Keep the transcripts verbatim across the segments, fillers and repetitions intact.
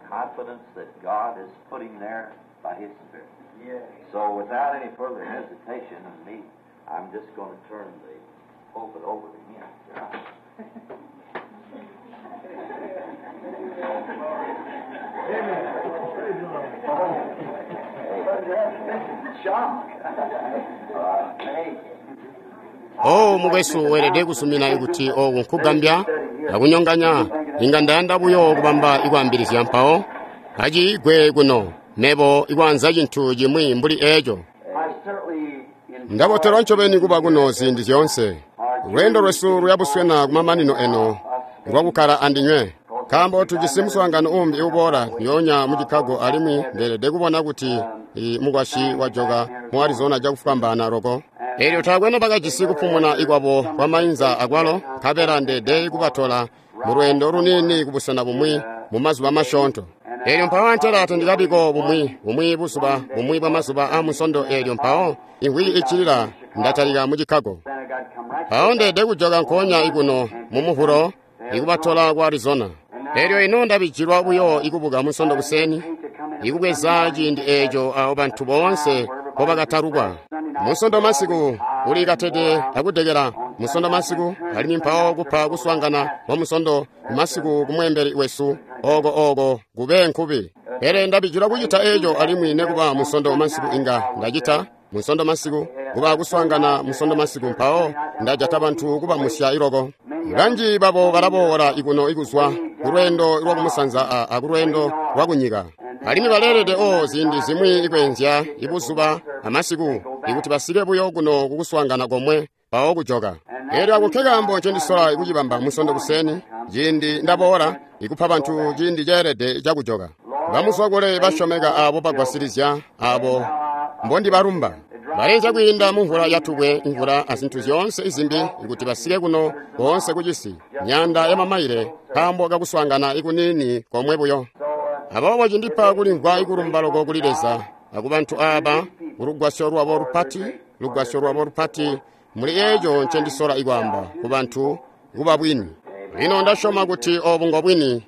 Confidence that God is putting there by His Spirit. So without any further hesitation of me, I'm just going to turn the pulpit over to him. Shock. Uh, hey. Oh, mukwesu weelede kusumina kuti oku nkugambya akunyonganya. Inga ndayanda buyo kubamba ikwaambilizya mpawo aciigwe kuno mebo ikwaanza cintu cimwi mbuli eco. I certainly Ndabotelwa ncobeni kuba kuno ziindi zyoonse. Lweendo lwesu luyabuswena kumamanino eno lwakukkala andinywe, nkaambo tujisi muswaangano uumbi uboola ndyoonya mu Chicago, alimwi ndeelede kubona kuti i mukwasyi wajoka mu Arizona cakufwambaana loko. Eelyo taakwe nobakajisi kupumuna ikwabo kwa mainza akwalo, nkabela ndeede kubatola mu lweendo luniini kubusena bumwi mu mazuba masyoonto. Eelyo mpawo antela tandikabiko bumwi bumwi buzuba bumwi bwa mazuba aa Munsondo. Eelyo mpawo imvwiki iccilila ndatalika mu Chicago. Then I got to come right Mpawo ndeede kujoka nkoonya ikuno mu Muvulo ikubatola ku Arizona. Eelyo ino ndabijilwa buyo ikubuka Munsondo kuseni, ikubweza ciindi eeco awo bantu boonse mpobakatalukwa. Munsondo masiku uli katede akudekela Munsondo masiku, alimwi mpawo kupa kuswaangana kwa Munsondo masiku kumweembeli wesu oko oko kube nkubi. Pele ndabijilwa kucita eeco, alimwi nekuba Munsondo masiku inga ndacita Munsondo masiku kuba kuswaangana Munsondo masiku, mpawo ndajata bantu kubamusya iloko. Banji babo balaboola ikuno ikuzwa kulweendo lwakumusanza a, a kulweendo lwakunyika, alimwi baleelede o ziindi zimwi ikweenzya ibuzuba amasiku ikuti basike buyo kuno kukuswaangana komwe mpawo kujoka. Eelyo ako nkekaambo ncendisola ikucibamba Munsondo kuseni ciindi ndaboola ikupa bantu ciindi ceelede cakujoka. Bamuzwakule basyomeka aabo bagwasilizya aabo mbondibalumba baleenzya kwiinda mu mvula yatubwe, imvula azintu zyoonse izimbi ikuti basike kuno koonse kucisi myaanda ya mamaile nkaambo kakuswaangana ikuniini komwe buyo. Aboobo cindipa kulimvwa ikulumba loko kuli Leza akubantu aaba kulugwasyo lwabo lupati, lugwasyo lwabo lupati muli eeco ncendisola ikwaamba kubantu kuba bwini. Lino ndasyoma kuti obu ngobwini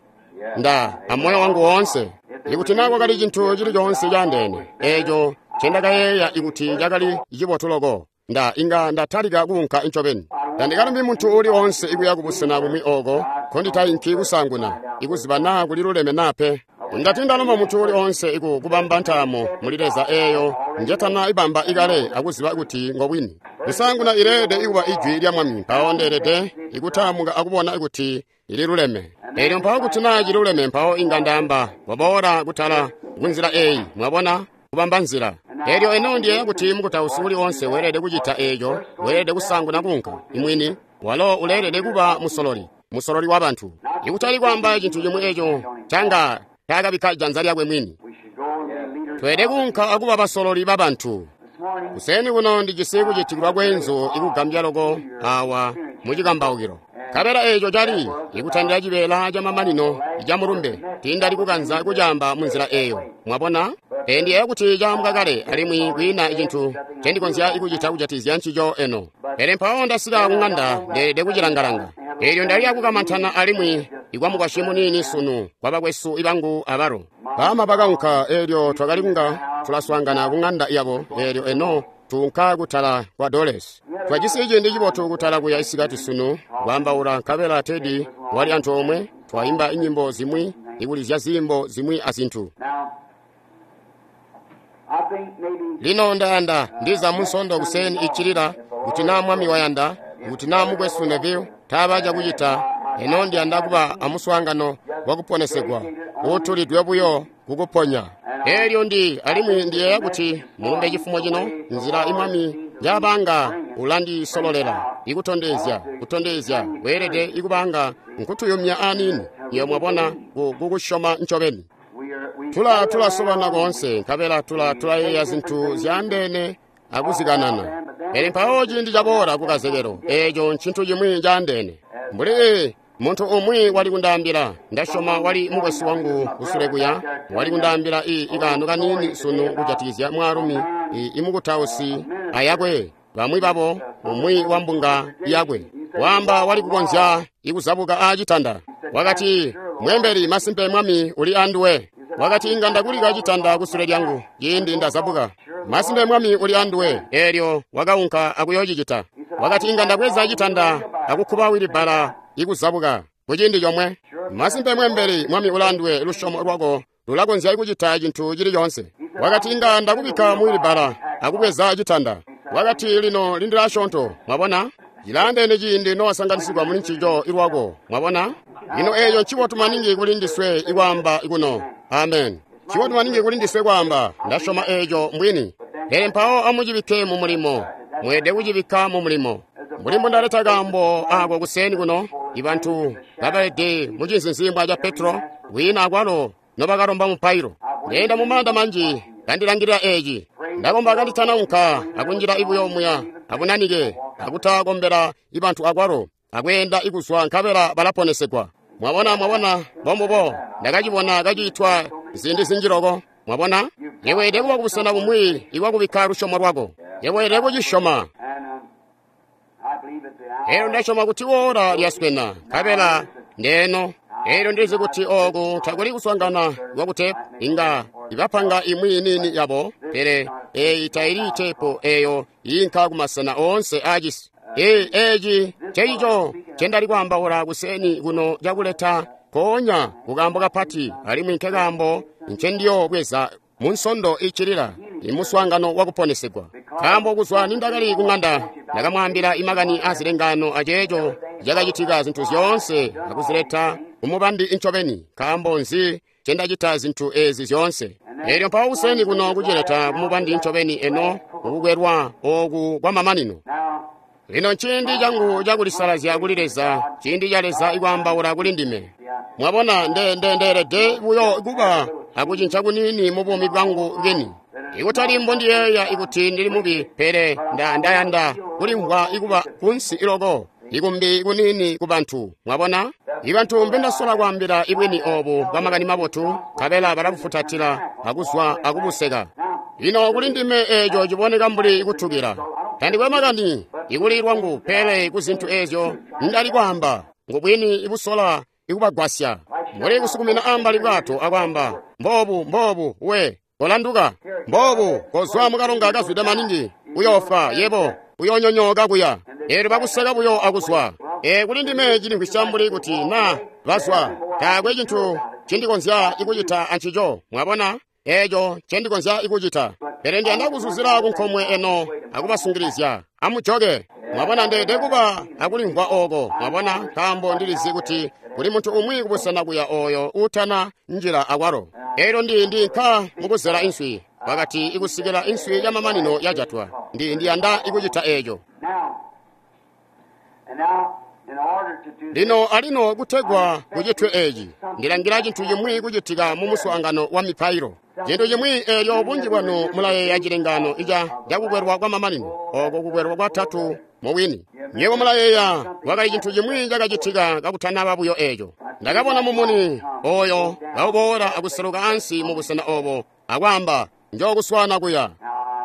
nda amoyo wangu woonse. Ikuti naa kwakali cintu cili coonse caandeene eeco ncendakayeeya ikuti cakali cibotu loko, nda inga ndatalika kuunka ncobeni. Tandikalumbi muntu uuli woonse ikuya kubusena bumwi ooko nkonditainki kusaanguna ikuziba naa kuliluleme naa pe. Ndati ndalomba muntu uuli woonse iku kubamba ntaamo muli Leza eeyo njetana ibamba ikale akuziba kuti ngobwini. Kusaanguna ileelede ikuba ijwi lya Mwami, mpawo ndeelede ikutaamuka akubona kuti ililuleme. Eelyo mpawo kuti naa ciluleme, mpawo inga ndaamba waboola kutala kunzila eeyi, mwabona, kubamba nzila. Eelyo eno ndiyeeya kuti mukutausi uli woonse weelede kucita eeco, weelede kusaanguna kuunka imwini, walo uleelede kuba musololi, musololi wa bantu. Ikutali kwaamba cintu cimwi eeco canga taakabikka janza lyakwe mwini. We should go and be leaders. Tweelede kuunka akuba basololi ba bantu. This morning, Kuseni kuno ndijisi kucitikilwa kwenzu ikugambya loko awa mucikambaukilo. Nkabela eeco cali ikutandila cibeela camamanino ca mulumbe, tiindali kukanza kucaamba munzila eeyo, mwabona? Pele ndiyeeya kuti caambwa kale, alimwi kwiina cintu ncendikonzya ikucita kujatikizya ncico eno. Pele mpawo ndasika kuŋanda ndeelede kucilangalanga. Eelyo ndali akukamantana alimwi ikwamukwasyi muniini sunu kwa bakwesu ibangu abalo. Baama bakaunka, eelyo twakali kunga tulaswaangana kuŋanda yabo, eelyo eno tuunka kutala kwa Dolores. Twajisi ciindi cibotu kutala kuya isikati sunu kwaambaula, nkabela Teddy wali antoomwe, twaimba inyimbo zimwi, ikulizya ziimbo zimwi azintu. now, I think maybe Lino ndayanda ndiza Munsondo kuseni iccilila kuti naa Mwami wayanda, kuti naa mukwesu Neville taaba cakucita, eno ndiyanda kuba amuswaangano wakuponesegwa uutulidwe buyo kukuponya. Eelyo ndi alimwi ndiyeeya kuti mulumbe cifumo cino nzila imwami njaabanga ulandisololela ikutondezya kutondezya weelede ikubanga nkutuyumya aniini iyo mwabona ku- kukusyoma ncobeni. we are we Tula tulasobana koonse nkabela tula tulayeeya zintu zyaandeene akuzikanana. Pele mpawo ciindi caboola kukazekelo, eeco ncintu cimwi caandeene. Mbuli muntu umwi wali kundaambila, ndasyoma wali mukwesu wangu kusule kuya, wali kundaambila i ikaano kaniini sunu kujatikizya mwaalumi i imukutausi ayakwe, bamwi babo umwi wa mbunga yakwe. Waamba wali kukonzya ikuzabuka aacitanda. Wakati, Mweembeli, masimpe Mwami uli anduwe. Wakati, inga ndakulika citanda kusule lyangu ciindi ndazabuka. Masimpe Mwami uli anduwe. Eelyo wakaunka akuyoocicita. Wakati, inga ndabweza citanda akukkuba wilibbala ikuzabuka kuciindi comwe. Masimpe mweembeli, Mwami uli anduwe, lusyomo lwako lulakonzya kucita cintu cili coonse. Wakati, inga ndakubikka mu wilibbala akubweza citanda. Wakati, lino lindila asyoonto. Mwabona? Cilaandeene ciindi nowasanganisigwa muli ncico ilwako. Mwabona? Lino eeco ncibotu maningi kuli ndiswe ikwaamba kuno. Amen. Ncibotu maningi kuli ndiswe kwaamba, ndasyoma eeco mbwini. Pele mpawo amucibikke mu mulimo. Mweelede kucibikka mu mulimo. Mbuli mbundaleta kaambo ako kuseeni kuno, ibantu babalede mu cinzinzimbwa ca Petro, kwiina akwalo nobakalomba mupailo. Ndeenda mu maanda manji kandilangilila eeci. Ndakomba kanditanaunka akunjila ibuyo muya akunanike akutakombela ibantu akwalo akweenda ikuzwa nkabela balaponesegwa. Mwabona, mwabona, mbombubo ndakacibona kaciitwa ziindi zinji loko. Mwabona, yeweelede kuba kubusena bumwi ikwakubikka lusyomo lwako. Yeweelede kucisyoma. Elyo ndasyoma kuti woola lyaswena nkabela ndeeno. Elyo ndilizi kuti ooku takuli kuswaangana kwakutepu, inga ibapanga imwi niini yabo, pele eeyi taili tepu eeyo iinka kumasena oonse aacisi. Ee, eeci ncecico ncendali kwaambaula kuseeni kuno cakuleta nkoonya kukaambo kapati, alimwi nkekaambo ncendiyobweza mu nsondo iccilila imuswaangano wakuponesegwa. Nkaambo kuzwa nindakali kung'anda ndakamwaambila imakani azilengaano aceeco cakacitika zintu zyoonse akuzileta kumubandi incobeni. Nkaambo nzi ncendacita zintu eezi zyoonse? Eelyo mpawo kuseeni kuno kucileta kumubandi incobeni eno mukukwelwa ooku kwamamanino. Lino nciindi cangu cakulisalazya kuli Leza, ciindi ca Leza ikwaambaula kuli ndime. Mwabona, nde nde ndeelede buyo kuba akucinca kuniini mu buumi bwangu bwini. Ikutali mbondiyeeya ikuti ndili mubi, pele nda ndayanda kulimvwa ikuba kunsi iloko, ikumbi kuniini ku bantu. Mwabona? Ibantu mbendasola kwaambila ibwini oobu bwa makani mabotu, nkabela balabufutatila akuzwa akubuseka. Lino kuli ndime eeco ciboneka mbuli kutukila. Tandikwe makani ikuli lwangu, pele ku zintu eezyo ndali kwaamba ngubwini ibusola ikubagwasya. Mbuli kusukumina ambali bwato akwaamba, mboobu mboobu we kolanduka, mboobu kozwa mukalonga kazwide maningi, uyoofa yebo, uyoonyonyooka kuya. Eelyo bakuseka buyo akuzwa. Ee, kuli ndime cilimvwisya mbuli kuti na bazwa, taakwe cintu ncindikonzya ikucita ancico. Mwabona? Eeco ncendikonzya ikucita. Pele ndiyanda kuzuzila kunkomwe eno akubasungilizya. Amujoke. Mwabona, ndeelede kuba akulimvwa ooko. Mwabona, nkaambo ndilizi kuti kuli muntu umwi kubusena kuya ooyo uutana njila akwalo. Eelyo ndi ndinka mukuzela inswi. Wakati ikusikila inswi yamamanino yajatwa. Ndi ndiyanda ikucita eeco. Lino alino kutegwa kucitwe eeci, ndilangila cintu cimwi kucitika mu muswaangano wa mipailo. Cintu cimwi eelyo bunji bwanu mulayeeya cilengaano ica cakukwelwa kwa mamanino, ooko kukwelwa kwatatu mubwini. Nywebo mulayeeya kwakali cintu cimwi cakacitika kakutanaba buyo eeco. Ndakabona mumuni ooyo kauboola akuseluka ansi mu busena oobo akwaamba, njookuswaana kuya.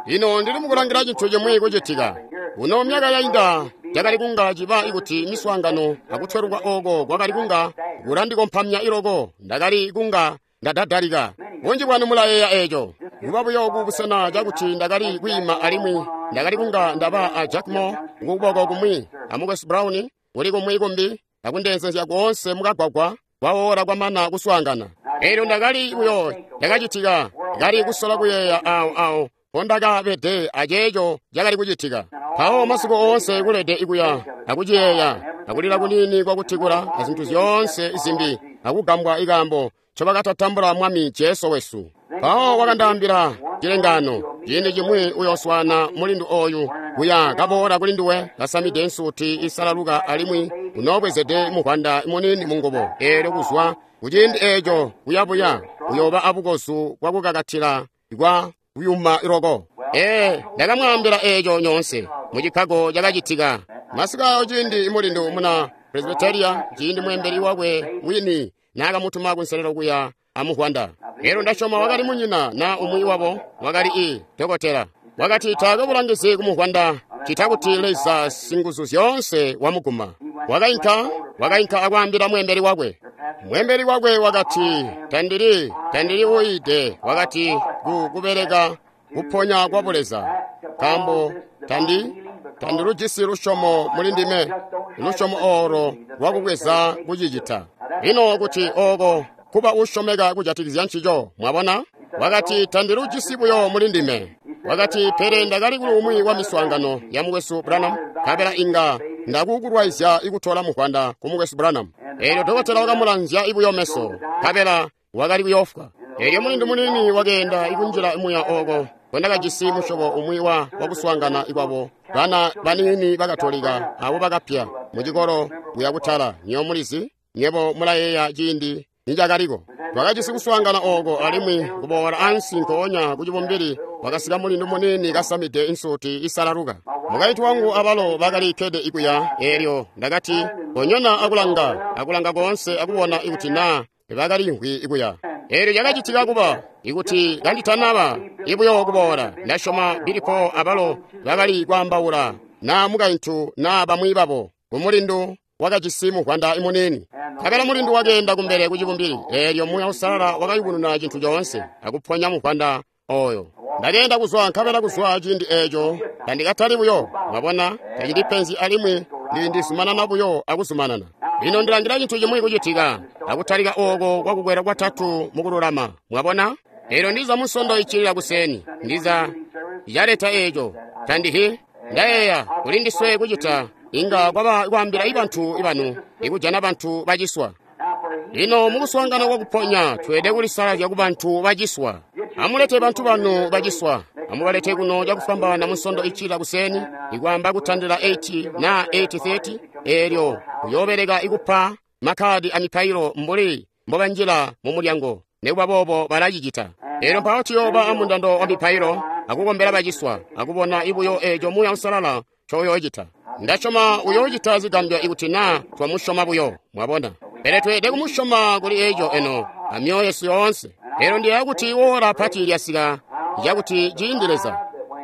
Lino ndili mukulangila cintu cimwi kucitika. Kuno myaka yainda cakali kunga ciba ikuti miswaangano akutweluka ooko kwakali kunga kulandikompamya iloko, ndakali kunga ndadadalika. Bunji bwanu mulayeeya eeco. Kuba buyo ku busena cakuti ndakali kwiima alimwi ndakali kunga ndaba a Jack Moore kukuboko kumwi a Mukwesu Brown kuli kumwi kumbi akundeenzezya koonse mukagwagwa kwawola kwamana kuswaangana. Eelyo ndakali buyo ndakacitika, ndakali kusola kuyeeya awo awo mpondakabede aceeco cakali kucitika. Mpawo masiku oonse kulede ikuya akuciyeeya akulila kuniini kwakutikula azintu zyoonse zimbi akugambwa ikaambo ncobakatatambula Mwami Jesu wesu. Mpawo wakandaambila cilengaano, ciindi cimwi uyooswaana mulindu ooyu kuya kaboola kuli nduwe kasamide nsuti isalaluka alimwi unoobwezede muvwanda muniini mungubo. Eelyo kuzwa kuciindi eeco kuyabuya uyooba abukozu bwakukakatila kwa kuyuma loko. Ee, ndakamwaambila eeco nyoonse mu Chicago cakacitika. Masiku ayo ciindi mulindu muna Presbyteria, ciindi mweembeli wakwe wini naakamutuma kunselelo kuya amuvwanda. Eelyo ndasyoma wakali munyina na umwi wabo wakali i dokotela. Wakati taakwe bulangizi kumuvwanda cita kuti Leza singuzu zyoonse wamuguma. Wakainka, wakainka akwaambila mweembeli wakwe. Mweembeli wakwe wakati, Tandili, tandili uyiide, wakati, ku kubeleka kuponya kwa buleza. Nkaambo tandi, tandilujisi lusyomo muli ndime, lusyomo olo lwakubweza kucicita. Lino kuti oko kuba usyomeka kujatikizya ncico, mwabona? Wakati, tandilujisi buyo muli ndime. Wakati, pele ndakali kuli umwi wa miswaangano ya mukwesu Branham, nkabela inga ndakukulwaizya ikutola muvwanda ku mukwesu Branham. Eelyo dokotela wakamulanzya ibuyo meso, nkabela wakali kuyoofwa. Eelyo mulindu muniini wakeenda ikunjila muya oko kwendakajisi musyobo umwi wa wakuswaangana ikwabo bana baniini bakatolika abo bakapya mucikolo kuya kutala. Nywebo mulizi, nywebo mulayeeya ciindi nicakaliko. Twakajisi kuswaangana oko alimwi kuboola ansi nkoonya ku cibumbili wakasika mulindu muniini kasamide insuti isalaluka. Mukaintu wangu abalo bakali kkede ikuya, eelyo ndakati konyona akulanga, akulanga koonse akubona ikuti naa bakalimvwi ikuya. Eelyo cakacitika kuba ikuti kanditanaba ibuyo kuboola, ndasyoma Bilipo abalo bakali kwaambaula naa mukaintu naa bamwi babo kumulindu wakajisi muvwanda muniini. Nkabela mulindu wakeenda kumbele ku cibumbili, eelyo Muuya Uusalala wakayubununa cintu coonse akuponya muvwanda oyo. Ndakeenda kuzwa, nkabela kuzwa ciindi eeco tandikatali buyo, mwabona, tacili alimwi ndizumanana buyo akuzumanana. Lino ndilangila cintu cimwi kucitika, akutalika oko kwakukwela kwatatu mukululama, mwabona? Eelyo ndiza musondo iccilila kuseni, ndiza yaleta eeco, tandihi, ndayeeya kuli ndiswe kucita, inga kwaba kwaambila ibantu ibanu, ikujana bantu baciswa. Lino mukuswaangana kwakuponya, tweelede kulisalazya ku bantu baciswa. Amulete bantu banu baciswa. Amubalete kuno cakufwambaana musondo iccilila kuseni, ikwaamba kutandila eight na eight thirty, eelyo kuyoobeleka ikupa makhadi a mipailo mbuli mbobanjila mu mulyango. Nikuba boobo balacicita. Eelyo mpawo tuyooba amundando wa mipailo akukombela baciswa, akubona ibuyo eeco Muuya Uusalala ncoyoocita. Ndasyoma uyoocita zigambyo ikuti naa twamusyoma buyo, mwabona. Pele tweelede kumusyoma kuli eeco eno amyoyo yesu yoonse. Eelyo ndiyeeya kuti woola pati lyasika yakuti ciindi Leza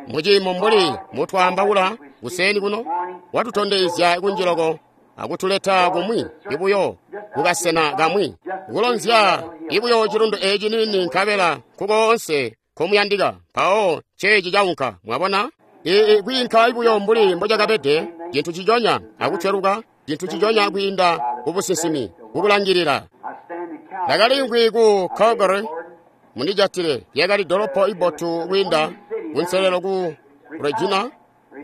muciimo mbuli mutwaambaula kuseni kuno watutondezya kunjiloko akutuleta kumwi ibuyo kukasena kamwi kulonzya ibuyo cilundu eeci nini nkabela nkukoonse nkomuyandika. Mpawo ceeci caunka, mwabona? Ii kwiinka ibuyo mbuli mbocakabede, cintu ciconya akutweluka, cintu ciconya kwiinda kubusinsimi kukulangilila. Ndakalimvwi ku Calgary, mundijatile, lyakali dolopo ibotu kwiinda kunselelo ku Regina,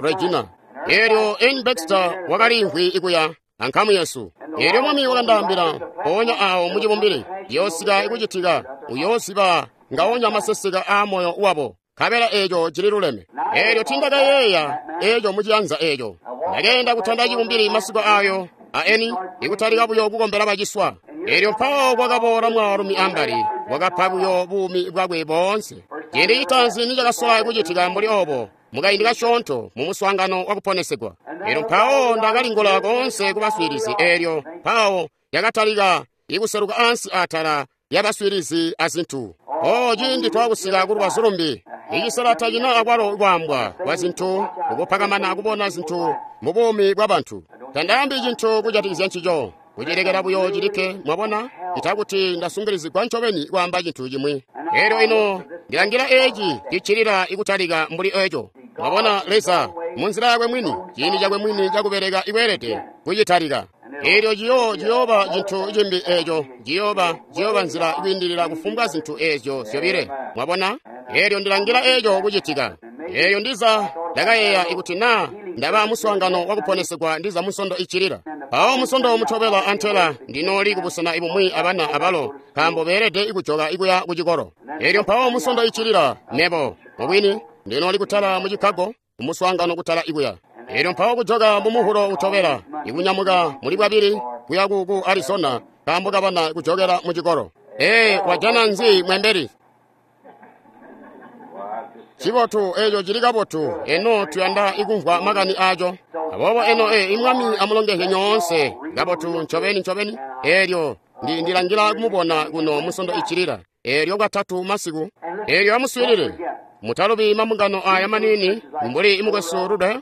Regina. Eelyo N. Baxter wakalimvwi ikuya ankamu yesu. Eelyo Mwami wakandaambila, mpoonya awo mucibumbili, yoosika ikucitika, uyoosiba ngaonya maseseka aa moyo wabo. Nkabela eeco cililuleme. Eelyo tindakayeeya eeco muciyanza eeco. Ndakeenda kutanda cibumbili masiku ayo a eni ikutalika buyo kukombela baciswa. Eelyo mpawo kwakaboola mwaalumi ambali, wakapa buyo buumi bwakwe boonse. Ciindi citaanzi nicakasola kucitika mbuli obo, mukaindi kasyoonto mu muswaangano wakuponesegwa. Eelyo mpawo ndakalingula koonse kubaswiilizi, eelyo mpawo yakatalika ikuseluka ansi atala yabaswiilizi azintu. Oh, ciindi twakusika ku lubazu lumbi, icisela tacina akwalo kwaambwa kwa zintu, ukupakamana akubona zintu mu buumi bwa bantu. Tandaambi cintu kujatikizya ncico, kucilekela buyo cilikke, mwabona, itakuti ndasungilizigwa ncobeni kwaamba cintu cimwi. Eelyo ino ndilangila eeci ciccilila ikutalika mbuli eeco. Mwabona, Leza munzila yakwe mwini, ciindi cakwe mwini cakubeleka ikweelede kucitalika. Eelyo ciyo ciyooba cintu cimbi eeco, ciyooba ciyooba nzila kwiindilila kufumbwa zintu eezyo zyobile. Mwabona? Eelyo ndilangila eeco kucitika. Eelyo ndiza ndakayeeya ikuti naa ndaba muswaangano wakuponesegwa ndiza musondo iccilila. Mpawo musondo mutobela antela ndinooli kubusena ibumwi abana abalo, nkaambo beelede ikujoka ikuya kucikolo. Eelyo mpawo musondo iccilila mebo mubwini ndinooli kutala mu Chicago kumuswaangano kutala ikuya. Eelyo mpawo kujoka mu muhulo utobela ikunyamuka muli bwabili kuya ku ku Arizona nkaambo kabana kujokela mu cikolo. Ee, wajana nzi mwembeli? Cibotu eeco cili kabotu, eno tuyanda ikumvwa makani aaco. Aboobo eno ee, imwami amulongezye nyoonse kabotu ncobeni ncobeni. Eelyo ndi ndilangila kumubona kuno musondo iccilila. Eelyo katatu masiku. Eelyo amuswiilile. Mutalubi mambungano aya manini mbuli imukwesu Rude,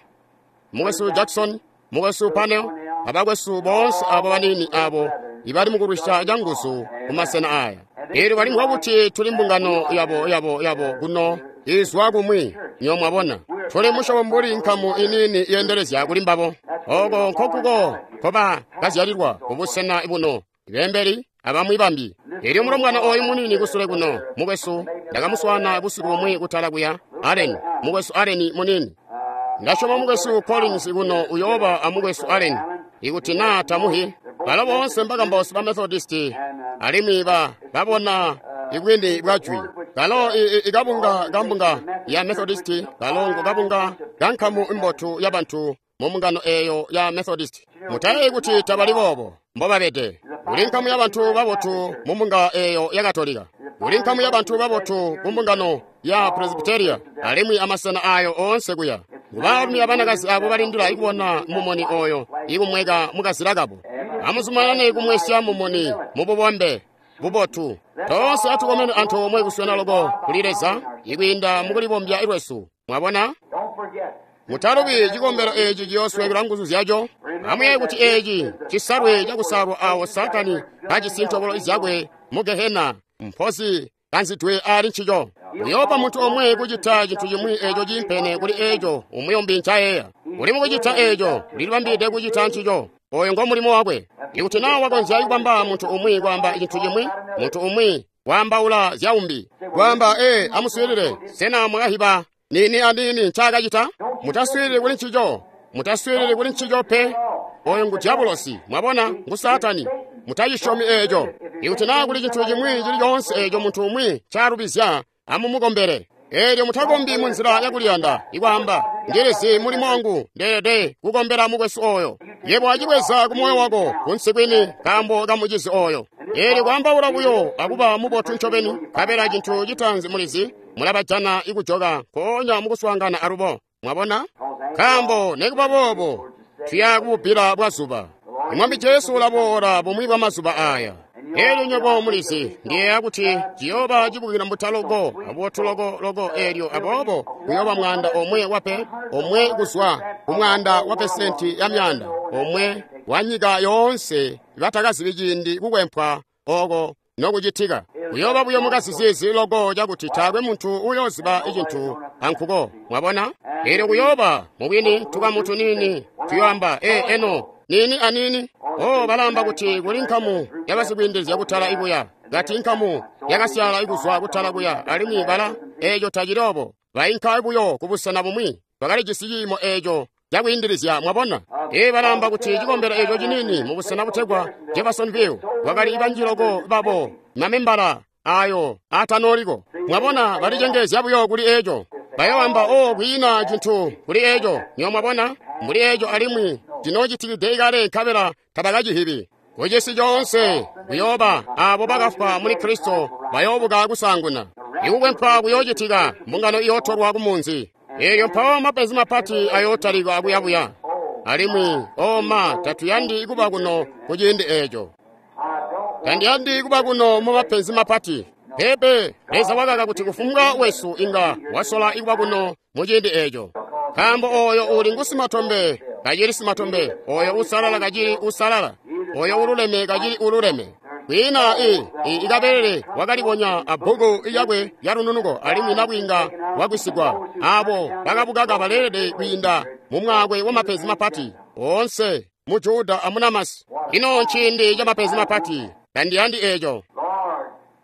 mukwesu Jackson, mukwesu Panel, abakwesu boonse abo banini abo ibali mukulwisya canguzu kumasena aya. Eelyo balimvwa kuti tuli mbungano yabo yabo yabo kuno izwa kumwi, nyo mwabona. Tuli musyobo mbuli nkamu iniini yeendelezya kuli mbabo. Oko nkokuko nkoba kazyalilwa kubusena buno, beembeli abamwi bambi. Eelyo mulombwana oyu muniini kusule kuno, mukwesu, ndakamuswaana busiku bumwi kutala kuya, Allen, mukwesu Allen muniini. Ndasyoma mukwesu Collins kuno uyooba amukwesu Allen, ikuti naa tamuhi. Balo boonse mbakambausi ba Methodist, alimwi ba babona ibwini bwa jwi. Kalo ikabunga kambunga ya Methodist, kalo ngo kabunga kankamu imbotu ya bantu mu mbungano eyo ya Methodist. Mutayeeyi kuti tabali boobo mbobabede. Kuli nkamu ya bantu babotu mu mbunga eyo ya Katolika. Kuli nkamu ya bantu babotu ku mbungano ya Presbyteria, alimwi amasena ayo oonse kuya. Baalumi abanakazi abo balindila ikubona mumuni oyo ikumweka mukazila kabo. Amuzumanane kumwesya mumuni mububombe bubotu. Toonse atukomene antoomwe kuswena loko kuli Leza ikwiinda mukulibombya lwesu. Mwabona? Mutalubi cikombelo eci ciyooswekela nguzu zyaco. Amuyeeye kuti eci cisalwe cakusalwa awo Saatani kajisi ntobolo zyakwe mu Gehena, mpozi kanzidwe ali ncico. Uyoopa muntu omwe kucita cintu cimwi eco ciimpene kuli eco umuyombi ncayeeya. Uli mukucita eco, ulilibambide kucita ncico. Oyo ngo mulimo wakwe. Ikuti naa wakonzya kubamba muntu umwi kwaamba cintu cimwi, muntu umwi waambaula zyaumbi. Kwaamba, ee, amuswiilile, sena mwakahiba nini anini ncaakacita? Mutaswiilili kuli ncico. Mutaswiilili kuli ncico pe. Oyo ngu diabolosi, mwabona, ngu Saatani. Mutacisyomi eco. Ikuti naa kuli cintu cimwi cili coonse eco muntu umwi ncaalubizya, amumukombele. Eelyo mutakombi munzila yakuliyanda, ikwaamba, ndilizi mulimo wangu, ndeelede kukombela mukwesu oyo. Yebo acibweza ku moyo wako, kunsi kwini, nkaambo kamucizi oyo. Eelyo kwaambaula buyo akuba mubotu ncobeni, nkabela cintu citaanzi mulizi, mulabajana ikujoka nkoonya mukuswaangana alubo. Mwabona? Nkaambo nikuba boobo, tuya kububbila bwazuba. Mwami Jesu ulaboola bumwi bwa mazuba aya. Eelyo nywebo mulizi, ndiyeeya kuti ciyooba cibukila mbuta loko, abubotu loko loko eelyo aboobo kuyooba mwaanda omwe wape, omwe kuzwa ku mwaanda wa pesenti ya myaanda, omwe wa nyika yoonse batakazibi ciindi kukwempwa oko nokucitika. Kuyooba buyo mukasiziizi loko cakuti taakwe muntu uyooziba icintu ankuko. Mwabona? Eelyo kuyooba mubwini tukamu tuniini tuyoamba, ee, eno nini anini. Oh, balamba kuti kuli nkamu yabasikwiindilizya kutala ikuya, kati nkamu yakasyaala ikuzwa kutala kuya, alimwi bala eeco tacili obo. Bainka buyo kubusena bumwi, bakalijisi ciimo eeco cakwiindilizya. Mwabona? Ee, balamba kuti cikombelo eeco ciniini mubusena butegwa Jeffersonville kwakali banji loko babo mamembala ayo atanooliko. Mwabona, balicengeezya buyo kuli eeco. Bayoamba, oh, kwiina cintu kuli eeco. Nyo mwabona, mbuli eeco alimwi cinoocitikide ikale nkabela tabakacihibi. Kucisi coonse kuyooba abo bakafwa muli Kristo bayoobuka kusaanguna. Ikukwempwa kuyoocitika, mbungano iyootolwa kumunzi. Eelyo mpawo mapenzi mapati ayootalika akuyabuya. Alimwi, oh ma, tatuyandi kuba kuno kuciindi eeco. Tandiyandi kuba kuno mu mapenzi mapati. Pepe, Leza wakaka kuti kufumbwa wesu inga wasola ikuba kuno muciindi eeco. Nkaambo oyo uli ngusimatombe kacili simatombe, oyo usalala kacili usalala, oyo ululeme kacili ululeme. Kwiina i, i ikabelele wakalibonya abbuku lyakwe lya lununuko, alimwi nabwiinga wagwisigwa. Abo bakabukaka baleelede kwiinda mu mwaakwe wa mapenzi mapati oonse mu Juda amunamasi. Ino nciindi ca mapenzi mapati, tandiyandi eeco.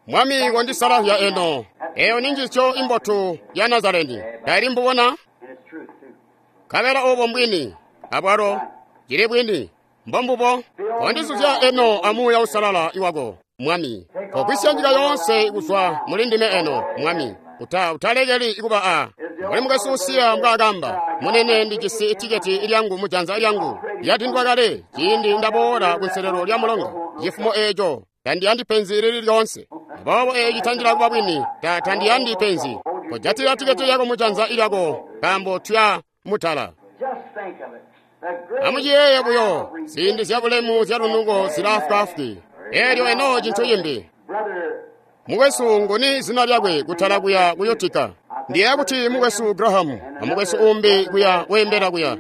Mwami kondisalazya eno. Eyo ninjiisyo imbotu ya Nazareni. Taili mbubona? Nkabela obo mbwini, abwalo cili bwini, mbombubo. Kondizuzya eno amuuya usalala iwako, Mwami. Kogwisya nyika yoonse kuzwa muli ndime eno, Mwami. Uta utalekeli kuba a mbuli mukwesu Usiya mbwaakamba, munene ndijisi itiketi lyangu mujanza lyangu lyatindwa kale ciindi ndaboola kunselelo lya mulonga. Cifumo eeco tandiyandi penzi lili lyoonse. Aboobo eeci tandila kuba bwini, ta tandiyandi penzi. Kojatila tiketi lyako mujanza lyako, nkaambo tuya mutala. Amuciyeeye buyo, ziindi zyabulemu zyalunuko zilaafwaafwi. Eelyo eno cintu cimbi. Mukwesu nguni zina lyakwe kutala kuya kuyotika. Ndiyeeya kuti mukwesu Graham amukwesu umbi kuya weembela kuya.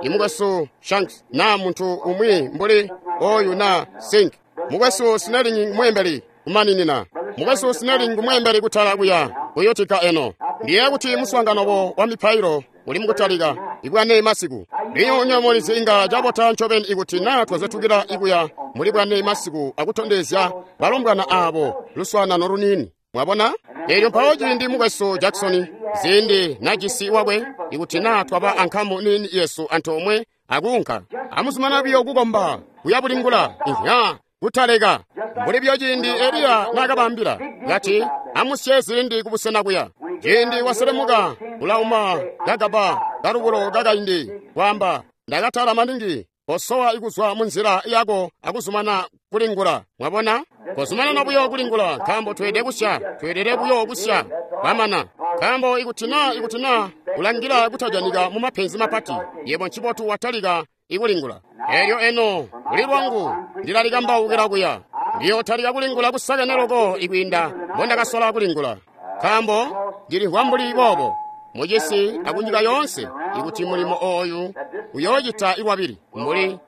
Imukwesu Shanks na muntu umwi mbuli oyu na Sink. Mukwesu Snelling mweembeli kumaninina. Mukwesu Snelling mweembeli kutala kuya kuyotika eno. Ndiye kuti muswaangano wa mipailo uli mukutalika ibwane masiku. Lino nyamulizi inga cabota ncobeni ikuti naa twazetukila ikuya muli bwane masiku akutondezya balombwana abo luswaanano luniini. Mwabona? Elyo mpawo ciindi mukwesu Jackson ziindi najisi wakwe ikuti naa twaba ankamu nini yesu antoomwe akuunka. Amuzumana biyo kukomba kuya bulingula ihya kutaleka. Mbuli biyo ciindi Eliya naakabambila kati amusye zilindi kubusena kuya. Ciindi waselemuka ulauma kagaba kalubulo kakaindi kwaamba ndakatala maningi kosowa ikuzwa munzila yako akuzumana kulingula. Mwabona? Kozumanana buyo kulingula nkaambo tweelede kusya, tweelede buyo kusya kwamana. Nkaambo ikuti naa ikuti naa ulangila kutajanika mu mapenzi mapati, yebo ncibotu watalika ikulingula. Elyo eno kuli lwangu ndilalikambaukila kuya. Ndiyotalika kulingula kusakene loko ikwiinda mbondakasola kulingula. Nkaambo ndilimvwa mbuli boobo mucisi akunyika yoonse ikuti mulimo ooyu uyoocita iwabili mbuli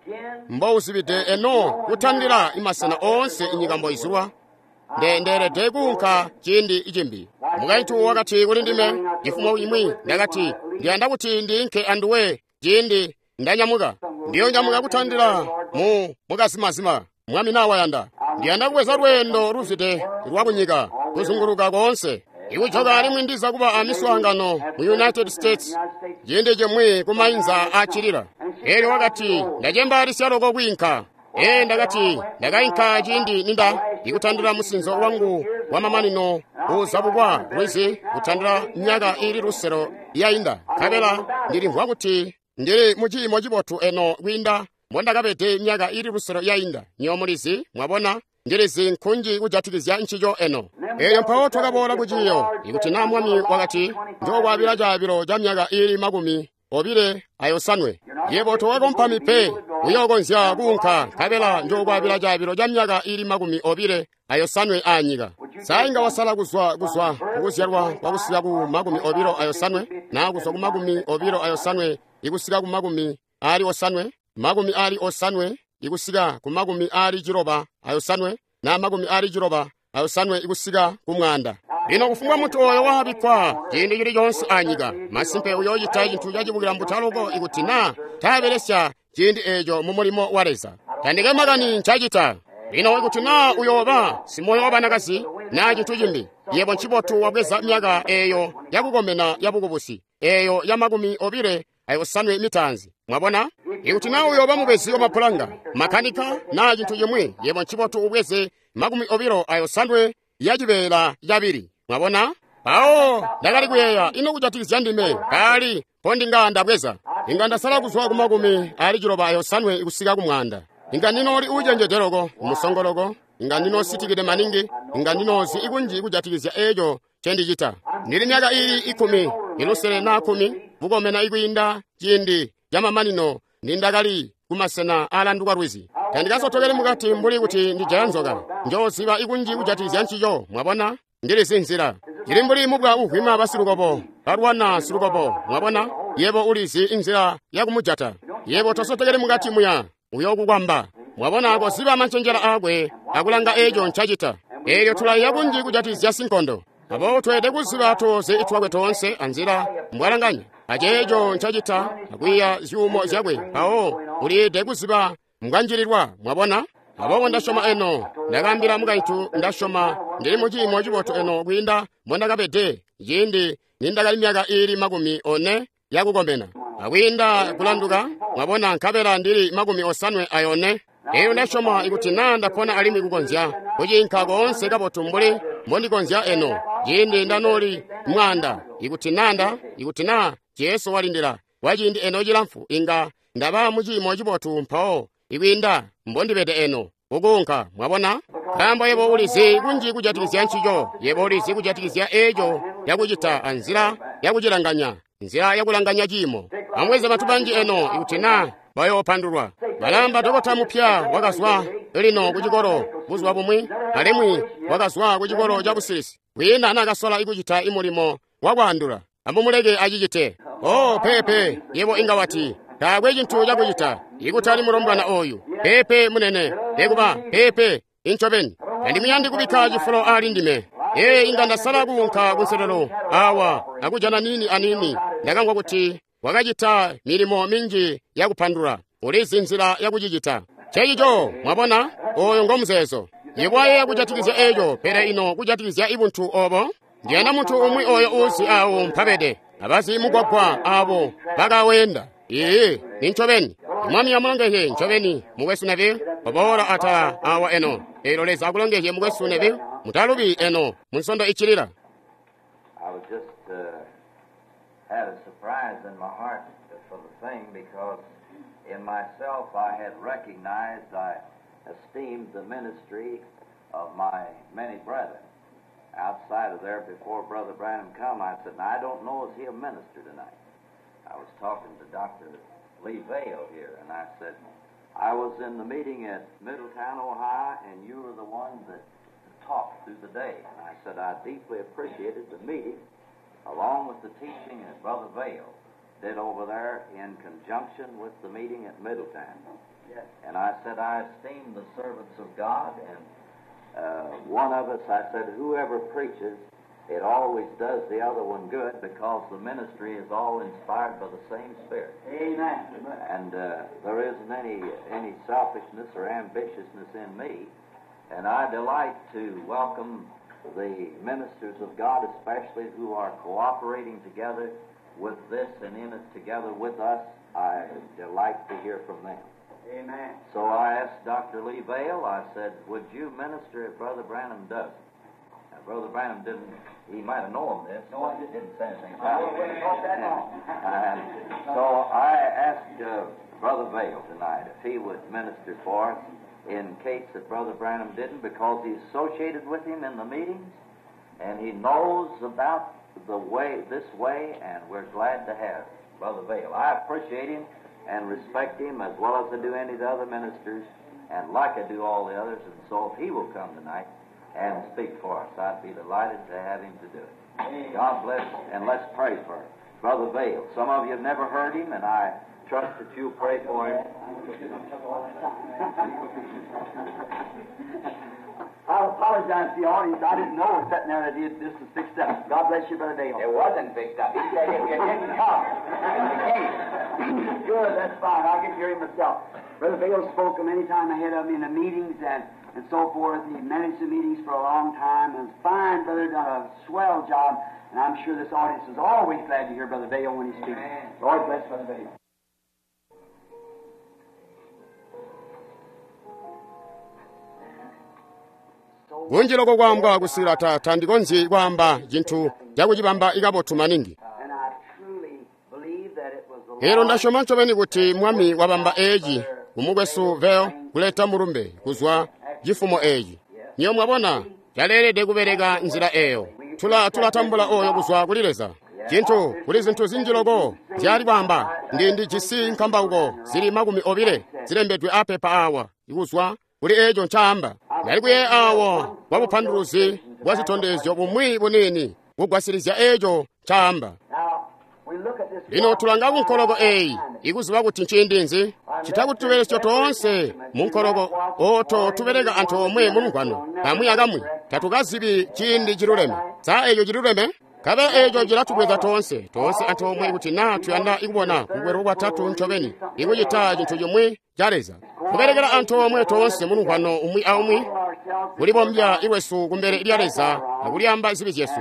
mbouzibide eno kutandila imasena oonse inyika mboizulwa. Ndeelede kuunka ciindi cimbi. Mukaintu wakati kuli ndime cifumo imwi, ndakati ndiyanda kuti ndiinke anduwe ciindi ndanyamuka. Ndiyonyamuka kutandila mu mukazimazima mwami nawayanda. Ndiyanda kubweza lweendo luzwide lwakunyika kuzunguluka koonse. Ikujoka alimwi ndiza kuba amiswaangano mu United States ciindi cimwi kumainza acilila. Elyo wakati ndacembaalisya loko kwiinka. Ee ndakati ndakainka ciindi ninda ikutandila musinzo wangu wa mamanino uzabukwa lwizi kutandila myaka ili luselo yainda. Nkabela ndilimvwa kuti ndili mu ciimo cibotu eno kwiinda mbondakabede myaka ili luselo yainda. Nyomulizi mwabona ndilizi nkunji kujatikizya ncico eno. Elyo mpawo twakaboola kuciyo ikuti naa mwami wakati njokwaabila caabilo ca myaka ili makumi obile ayosanwe. Yebo towakompami pe uyookonzya kuunka nkabela njokwaabila caabilo ca myaka ili makumi obile ayosanwe aanyika. Sa inga wasala kuzwa kuzwa kukuzyalwa kwakusika ku makumi obilo ayosanwe naa kuzwa ku makumi obilo ayosanwe ikusika ku makumi ali osanwe, makumi ali osanwe ikusika ku makumi ali ciloba ayosanwe na makumi ali ciloba ayosanwe ikusika ku mwanda. Lino kufumbwa munthu oyo wabikkwa ciindi cili coonse anyika, masimpe uyoocita cintu cacibukila mbuta ikuti naa taabelesya ciindi eeco mu mulimo wa Leza. Tandike makani ncacita. Lino ikuti naa uyooba simoyo wa banakazi naa cintu cimbi, yebo ncibotu wabweza myaka eeyo yakukomena yabukubusi, eeyo ya makumi obile ayosanwe mitaanzi. Mwabona? Ikuti naa uyooba mubezi wa mapulanga, makanika naa cintu cimwi, yebo ncibotu ubweze makumi obilo ayosanwe yacibeela cabili. Mwabona? Mpawo ndakali kuyeeya ino kujatikizya ndime kaali mpo ndabweza. Inga ndasala kuzwa ku makumi ali ciloba ayosanwe kusika ku mwanda. Inga ndinooli uucenjede loko, musongo loko, inga ndinoositikide maningi, inga ndinoozi ikunji kujatikizya eeco ncendicita. Ndili myaka ili ikumi, ilusele naa kumi, bukomena ikwiinda ciindi camamanino nindakali kumasena aalanduka lwizi. Tandikasotokeli mukati mbuli kuti ndijaya nzoka. Njooziba ikunji kujatikizya ncico, mwabona? Ndilizi nzila. Cili mbuli mubwa uvwima basilukobo, balwana silukobo, mwabona? Yebo ulizi inzila yakumujata. Yebo tosotokeli mukati muya, uyokukwamba. Mwabona koziba mancenjela akwe akulanga eeco ncacita. Eelyo tulaiya kunji kujatikizya sinkondo. Aboobo tweelede kuziba tooze itwakwe toonse anzila mbwalanganya aceeco ncacita akwiiya zyuumo zyakwe. Mpawo uliide kuziba mbwanjililwa, mwabona? Aboobo ndasyoma eno, ndakaambila mukaintu ndasyoma ndili mu ciimo cibotu eno kwiinda mbondakabede ciindi nindakali myaka iili makumi one yakukomena. Akwiinda kulanduka, mwabona, nkabela ndili makumi osanwe ayone. Eyo ndasyoma ikuti naa ndapona alimwi kukonzya kuciinka koonse kabotu mbuli mbondikonzya eno ciindi ndanooli mwanda. Ikuti nanda, ikuti naa Jesu walindila kwa ciindi eno cilamfu, inga ndaba mu ciimo cibotu mpawo ikwiinda mbondibede eno kukunka. Mwabona? Nkaambo yebo ulizi kunji kujatikizya ncico, yebo ulizi kujatikizya eeco yakucita anzila yakucilanganya, nzila yakulanganya ciimo. Amubweze bantu banji eno ikuti naa bayoopandulwa. Balamba dokota mupya wakazwa lino kucikolo buzuba bumwi, alimwi wakazwa kucikolo ca busilisi. Kwiina naakasola ikucita imulimo wakwaandula. Amumuleke acicite. Oh, pepe, yebo inga wati taakwe cintu cakucita ikutali mulombwana oyu. Pepe munene, nekuba pepe, Incobeni. Tandimuyandi kubikka cifulo ali ndime. Ee, inga ndasala kuunka kunselelo awa akujana nini anini. Ndakamvwa kuti wakacita milimo minji yakupandula. Ulizi nzila yakucicita. Ncencico, mwabona, oyo ngo muzeezo. Yebo kujatikizya eco, pele ino kujatikizya ibuntu obo? Ndiyanda muntu umwi oyo uzi awo mpabede. Abazi mugwagwa abo bakawenda. Ee, nincobeni. Mwami amulongezye ncobeni mukwesu Neville. Oboola atala awa eno. Elo Leza akulongezye mukwesu Neville. Mutalubi eno munsondo ichilira. I was just uh, had a surprise in my heart for the thing because in myself I had recognized, I esteemed the ministry of my many brethren. Outside of there, before Brother Branham come, I said, now, I don't know is he a minister tonight. I was talking to Doctor Lee Vayle here, and I said, I was in the meeting at Middletown, Ohio, and you were the one that talked through the day. And I said, I deeply appreciated the meeting, along with the teaching that Brother Vayle did over there in conjunction with the meeting at Middletown. Yes. And I said, I esteem the servants of God, and uh, one of us, I said, whoever preaches, it always does the other one good because the ministry is all inspired by the same Spirit. Amen. And uh, there isn't any, any selfishness or ambitiousness in me. And I delight to welcome the ministers of God, especially who are cooperating together with this and in it together with us. I delight to hear from them. Amen. So I asked Doctor Lee Vayle, I said, would you minister if Brother Branham doesn't? Now, Brother Branham didn't, he might have known this, No, I but didn't. didn't say anything I about wouldn't it. have thought that long. And so I asked uh, Brother Vayle tonight if he would minister for us in case that Brother Branham didn't, because he's associated with him in the meetings and he knows about the way, this way, and we're glad to have Brother Vayle. I appreciate him and respect him as well as I do any of the other ministers, and like I do all the others, and so if he will come tonight and speak for us, I'd be delighted to have him to do it. God bless, and let's pray for Brother Vayle. Some of you have never heard him, and I trust that you'll pray for him. I apologize to the audience. I didn't know sitting there that he, this was fixed up. God bless you, Brother Vayle. It wasn't fixed up. He said if you didn't come, you came. Good, that's fine. I'll get to hear him myself. Brother Vayle spoke many times ahead of me in the meetings and, and so forth. He managed the meetings for a long time. And fine brother, done a swell job. And I'm sure this audience is always glad to hear Brother Vayle when he speaks. Amen. Lord bless Brother Vayle. Kunjiloko kwaambwa kusila ta tandikonzyi kwaamba cintu cakucibamba ikabotu maningi. And I truly believe that it was the Elo Lord ndasyoma ncobeni kuti mwami wabamba eci kumukwesu Vayle kuleta mulumbe kuzwa cifumo eci. Niyo mwabona caleelede kubeleka nzila eyo. Tula tulatambula oyo kuzwa kuli Leza. Cintu kuli zinthu zinji loko zyali kwaamba ndi ndijisi nkambauko zili makumi obile zilembedwe apepa awa ikuzwa kuli eco ncaamba. Ndali kuyeeya awo kwa bupanduluzi bwa zitondezyo bumwi bunini kugwasilizya eco ncaamba. Now, we look at this Lino tulanga ku nkoloko eyi ikuziba kuti nciindi nzi cita tubelesyo toonse mu nkoloko oto tubeleka anthu omwe mu lungwano kamwi akamwi tatukazibi ciindi ciluleme. Sa eco ciluleme? Kabe eco cilatubweza toonse toonse anthu omwe kuti na tuyanda ikubona kukwera kwatatu ncobeni ikucita cinthu chimwe cha Leza kubelekera anthu omwe toonse mu lungwano umwi aumwi kulibombya iwesu kumbele lya Leza akulyamba zibi zyesu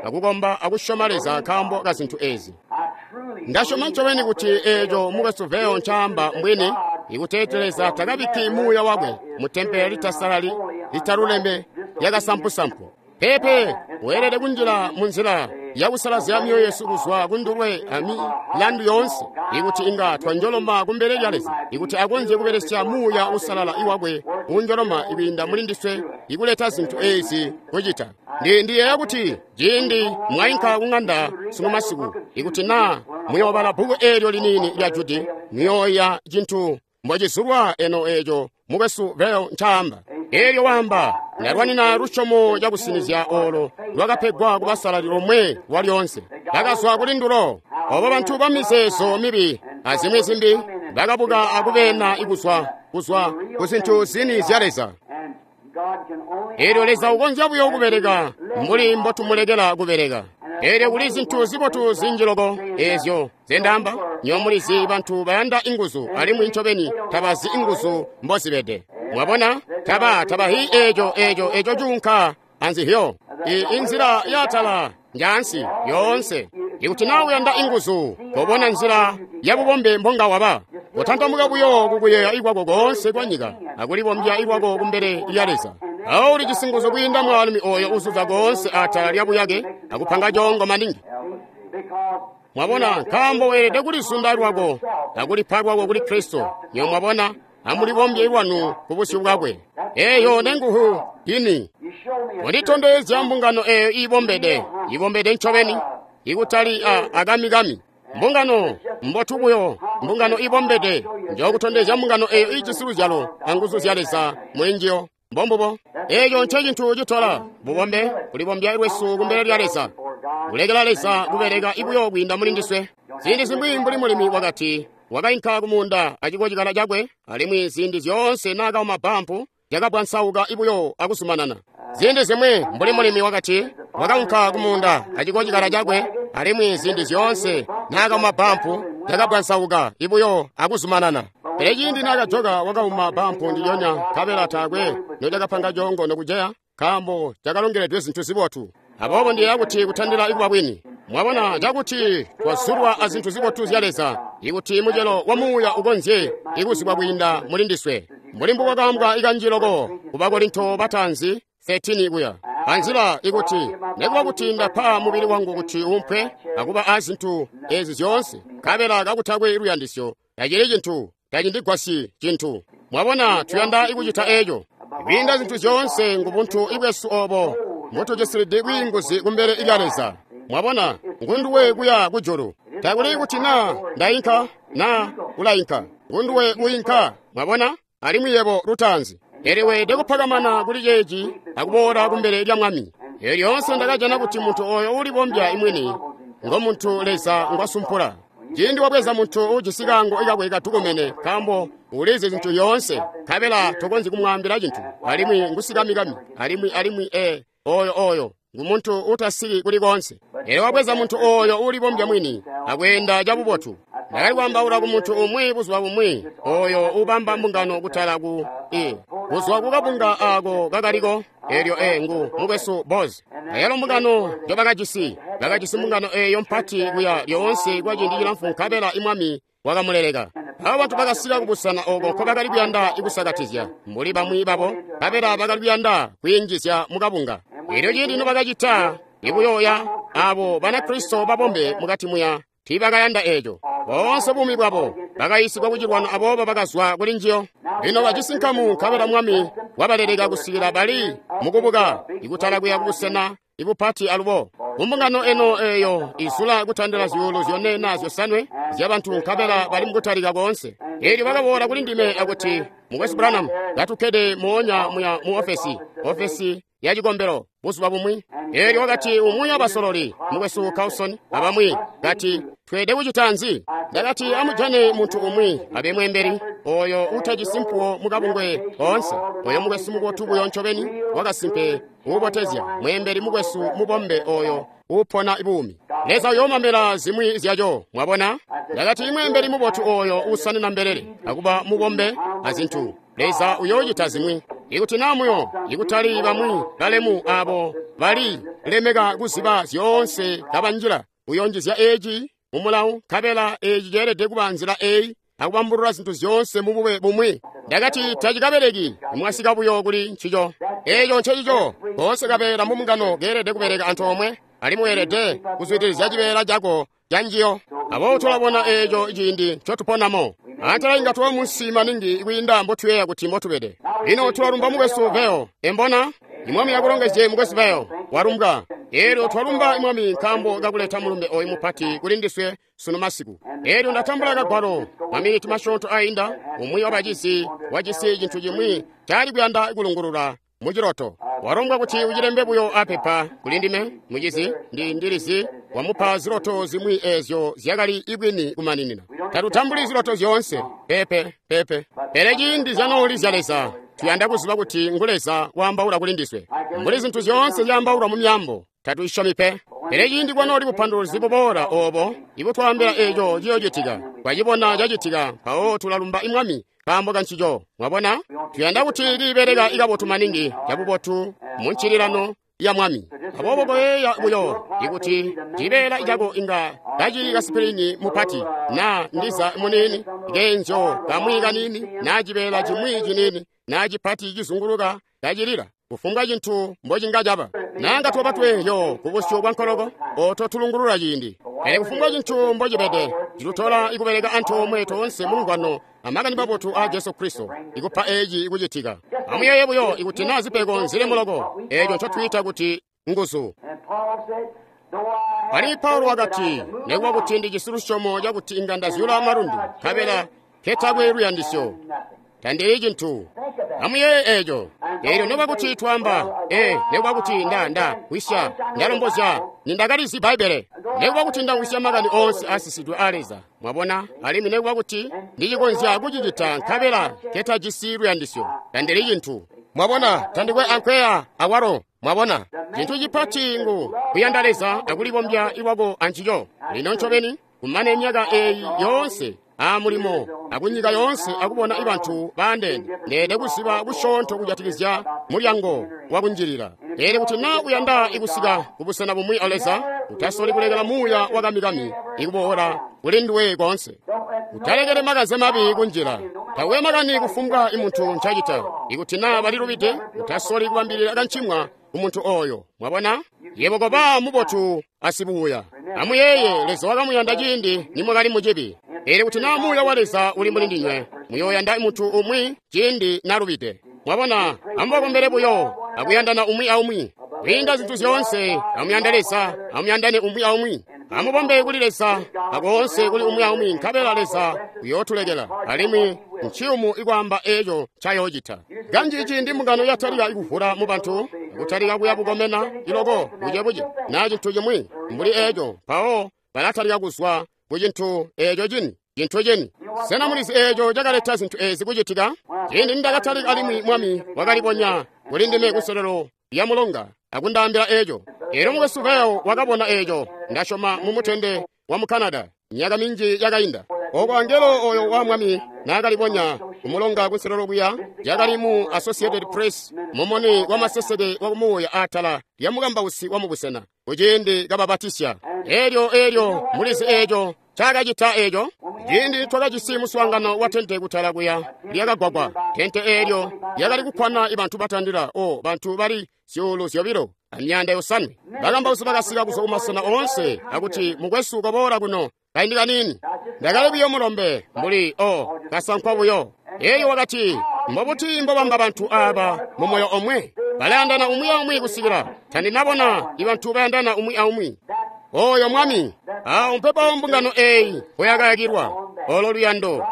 akukomba akusyoma Leza nkaambo ka zinthu ezi. I truly Ndasyoma ncobeni kuti eco mukwesu Vayle ncaamba mbwini ikuteeti Leza takabikki muuya wakwe mu tempele litasalali litaluleme lyakasampusampu. Pepe weelede kunjila mu nzila yakusalazya myoyo yesu kuzwa kundulwe amilandu yoonse ikuti inga twanjoloma kumbele lya Leza ikuti akonzye kubelesya muuya usalala iwakwe unjoloma ikwiinda muli ndiswe ikuleta zinthu ezi kucita. Ndi ndiyeeya kuti ciindi mwayinka kung'anda sunu masiku ikuti na muyoobala bbuku eelyo liniini lya Judi muyooya cinthu mbocizulwa eno eco mukwesu Vayle ncaamba. Eelyo wamba ndalwanina lusyomo cakusinizya olo lwakapegwa ku basalali lomwe lwa lyonse bakazwa kuli ndulo. Obo bantu ba mizeezo mibi azimwi zimbi bakabuka akubeena ikuzwa kuzwa ku zinthu zini zya Leza. and Elyo Leza ukonzya buyo kubeleka mbuli mbotumulekela kubeleka. Elyo kuli zintu zibotu zinji loko ezyo zendamba nyomulizi bantu bayanda inguzu alimwi ncobeni tabazi inguzu mbozibede. Mwabona taba tabahi ejo ejo ejo junka anzihyo I inzira yatala njansi yonse. Ikuti nawe uyanda inguzu kobona nzira yabubombe mbonga waba kutantamuka buyo kukuyeya ikwako konse kwa nyika akulibombya ikwako kumbele lya Leza. Awo uli chisinguzo kwiinda mwaalumi oyo uzuza konse atala lya buyake akupanga jongo maningi. Mwabona nkambo weelede kulisunda lwako akulipa lwako kuli Kristo. Nyo mwabona amulibombye lwanu ku busyu bwakwe. Eyo nenguhu ini munditondezya mbungano eyo ibombede ibombede ncobeni ikutali a akamikami. Mbungano mbotu buyo mbungano ibombede njokutondezya mbungano eyo ijisi luzyalo anguzu zya Leza mulinjiyo. Mbombubo eyo nce cintu citola bubombe kulibombya lwesu kumbele lya Leza kulekela Leza kubeleka ibuyo kwiinda muli ndiswe. Ziindi zimwi mbuli mulimi wakati wakainka kumunda acikocikala cakwe alimwi ziindi zyoonse naakauma bampu cakabwansauka ibuyo akuzumanana. Ziindi zimwi mbuli mulimi wakati wakaunka kumunda acikocikala cakwe alimwi ziindi zyoonse naakauma bampu cakabwansauka ibuyo akuzumanana. Pele ciindi naakajoka wakauma bampu ndilyonya nkabela taakwe nocakapanga congo nokuceya nkaambo cakalongeledwe zintu zibotu. Aboobo ndiyeeya kuti kutandila ikuba bwini. Mwabona cakuti twazulwa azintu zibotu zya Leza ikuti mucelo wa muuya ukonzye ikuzibwa kwiinda muli ndiswe. Mbuli mbukwakaambwa ikanji loko ku Bakorinto bataanzi thirteen kuya. Anzila ikuti nekuba kuti ndapa mubili wangu kuti umpwe akuba azintu ezi zyoonse nkabela kakutakwe luyandisyo tacili cintu tacindigwasyi cintu. Mwabona tuyanda ikucita eco. Kwiinda zintu zyoonse ngubuntu ibwesu obo mbutujisilidi bwiinguzi kumbele lya Leza. Mwabona ngunduwe kuya kujulu. Takuli kuti na ndainka na ulainka ngunduwe uinka. Mwabona alimwi yebo lutaanzi. Elyo weelede kupakamana kuli ceeci akuboola kumbele lya Mwami. Elyo lyoonse ndakajana kuti muntu oyo ulibombya imwini ngo muntu Leza ngwasumpula. Ciindi wabweza muntu ujisi kaango ikakwe katukomene nkaambo ulizi zintu yoonse nkabela tokonzyi kumwaambila cintu alimwi ngusikamikami alimwi alimwi e oyo oyo ngumuntu utasiki kuli konse. Elyo wabweza muntu oyo ulibombya mwini akweenda cabubotu. Ndakali kwaambaula ku muntu umwi buzuba bumwi oyo ubamba mbungano kutala ku i kuzwa kukabunga ako kakaliko. Elyo e ngu mukwesu Boz. Ayalo mbungano njobakajisi bakajisi mbungano eyo mpati kuya lyoonse kwa ciindi cilamfu nkabela imwami wakamuleleka. Abo bantu bakasika kubusena oko nkobakali kuyanda ikusakatizya mbuli bamwi babo nkabela bakali kuyanda kwiinjizya mukabunga. Elyo ciindi nobakacita ikuyoya abo Banakristo babombe mukati muya tiibakayanda eco. Boonse buumi bwabo bakayiisigwa kucilwano aboobo bakazwa kuli njiyo. Lino bajisi nkamu nkabela Mwami wabaleleka kusikila bali mukubuka ikutala kuya kubusena ibupati alubo. Kumbungano eno eyo izula kutandila zyuulu zyone na zyosanwe zyabantu nkabela bali mukutalika koonse. Elyo bakaboola kuli ndime akuti mukwesu Branham katukkede moonya muya mu ofesi ofesi ya cikombelo buzuba bumwi. Elyo wakati umwi abasololi mukwesu Carlson abamwi kati tweede kucita nzi? Ndakati amujane muntu umwi abe mwembeli oyo utajisi mpuwo mukabungwe koonse oyo mukwesu mubotu buyo ncobeni wakasimpe uubotezya mwembeli mukwesu mubombe oyo upona buumi. Leza uyoomamela zimwi zyaco. Mwabona ndakati imwembeli mubotu oyo usanina mbelele akuba mubombe azintu Leza uyoocita zimwi. Ikuti namuyo ikutali bamwi balemu abo bali lemeka kuziba zyoonse kabanjila uyonjizya eci mumulawu nkabela eci ceelede kuba nzila eyi akubambulula zintu zyoonse mubube bumwi. Ndakati tacikabeleki mwasika buyo kuli ncico. Eco ncecico koonse kabeela mumbungano keelede kubeleka antoomwe alimwi weelede kuzwidilizya cibeela cako ca njiyo. Aboobo tulabona eco ciindi ncotuponamo. Antela inga tuba munsi maningi kwiinda mbotuyeeya kuti mbotubede. Lino tulalumba mukwesu Veo. Embona imwami akulongezye mukwesu Veo walumbwa. Elyo twalumba imwami nkaambo kakuleta mulumbe oyu mupati kuli ndiswe sunu masiku. Elyo ndatambula kagwalo maminiti masyoonto ainda umwi wabacizi wajisi cintu cimwi cali kuyanda kulungulula muciloto. Walombwa kuti ucilembe buyo apepa kuli ndime mucizi ndi ndilizi wamupa ziloto zimwi ezyo zyakali ibwini kumaninina. Tatutambuli ziloto zyoonse pepe pepe, pele ciindi zyanooli zya Leza Tuyanda kuziba kuti ngu Leza waambaula kuli ndiswe. Mbuli zintu zyoonse zyaambaulwa mu myaambo, tatuisyomi pe. Pele ciindi kwanooli bupanduluzi buboola obo ibutwaambila eco ciyoocitika, twacibona cacitika, mpawo tulalumba Mwami nkaambo kancico. Mwabona? Tuyanda kuti liibeleka ikabotu maningi cabubotu mu ncililano ya Mwami. Aboobo koyeeya buyo ikuti cibeela cako inga kacili kasipilini mupati na ndiza muniini, kenzyo kamwi kaniini na cibeela cimwi ciniini na cipati cizunguluka kacilila, kufumbwa cintu mbocinga caba. Nanga twaba tweyo kubusyu bwa nkoloko oto tulungulula ciindi. Pele kufumbwa cintu mbocibede, cilutola ikubeleka antoomwe toonse mu lumvwano amakani mabotu a Jesu Kristo, ikupa eci kucitika. Amuyeeye buyo ikuti naa zipego nzili muloko, eco ncotwiita kuti nguzu. Alimwi Paulo wakati, nekuba kuti ndijisi lusyomo cakuti inga ndazyula malundu, nkabela nketakwe luyandisyo, tandili cintu. Amuyeeye eco. Eelyo noba kuti twaamba, ee, nekuba kuti nda nda wisya, ndalombozya, nindakalizi Bbaibbele, nekuba kuti ndawisya makani oonse asisidwe a Leza, mwabona, alimwi nekuba kuti ndicikonzya kucicita nkabela nketajisi luyandisyo, tandili cintu. Mwabona, tandikwe ankweya awalo. Mwabona, cintu cipati ngu kuyanda Leza akulibombya lwako ancico. Lino ncobeni, kumane myaka eeyi yoonse amulimo akunyika yoonse akubona ibantu baandeene, neede kuziba kusyoonto kujatikizya mulyango wakunjilila. Pele kuti naa uyanda ikusika kubusena bumwi a Leza, utasoli kulekela muuya wakamikami ikuboola kuli nduwe koonse. Utalekele makanze mabi kunjila. Tawe makani kufumbwa imuntu ncacita. Ikuti naa balilubide, utasoli kubambilila kancimwa kumuntu oyo. Mwabona? Yebo koba mubotu asibuuya. Amuyeeye, Leza wakamuyanda ciindi nimwakali mucibi. Pele kuti naa muuya wa Leza uli muli ndinywe, muyooyanda muntu umwi ciindi nalubide. Mwabona, amubakombele buyo akuyandana umwi aumwi. Kwiinda zintu zyoonse, amuyande Leza, amuyandane umwi aumwi. Amubombe kuli Leza, akoonse kuli umwi aumwi, nkabela Leza uyootulekela. Alimwi nciyumu ikwaamba eco ncayoocita. Kanji ciindi mbungano yatalika ikuvula mu bantu, kutalika kuya bukomena iloko bucebuce naa cintu cimwi mbuli eco, mpawo balatalika kuzwa ku cintu eco cini, cintu cini. Sena mulizi eco cakaleta zintu ezi kucitika? Ciindi nindakatalika alimwi Mwami wakalibonya kuli ndime kuselelo lya mulonga akundaambila eco. Elyo mukwesu Vail wakabona eco, ndasyoma mu mutende wa mu Canada myaka minji yakainda. Oko angelo oyo wa Mwami naakalibonya kumulonga kunselelo kuya, yakali mu Associated Press, mumuni wa maseseke wa kumuuya atala lya mukambausi wa mubusena kuciindi kababatisya. Elyo elyo mulizi eco cakacita eco. Ciindi twakajisi muswaangano wa tente kutala kuya lyakagwagwa, tente eelyo lyakali kukkwana ibantu batandila o bantu bali zyuulu zyobilo amyanda yosanwe. Bakambausi bakasika kuzwa kumasena oonse akuti, mukwesu koboola kuno kaindi kaniini. Ndakali buyo mulombe mbuli o kasankwa buyo. Elyo wakati, mbobuti mbobamba bantu aaba mu moyo omwe? Balayandana umwi aumwi kusikila tandinabona ibantu bayandana umwi aumwi. Oyo Mwami, awo mpepawo mbungano eyi mpoyakayakilwa, olo luyando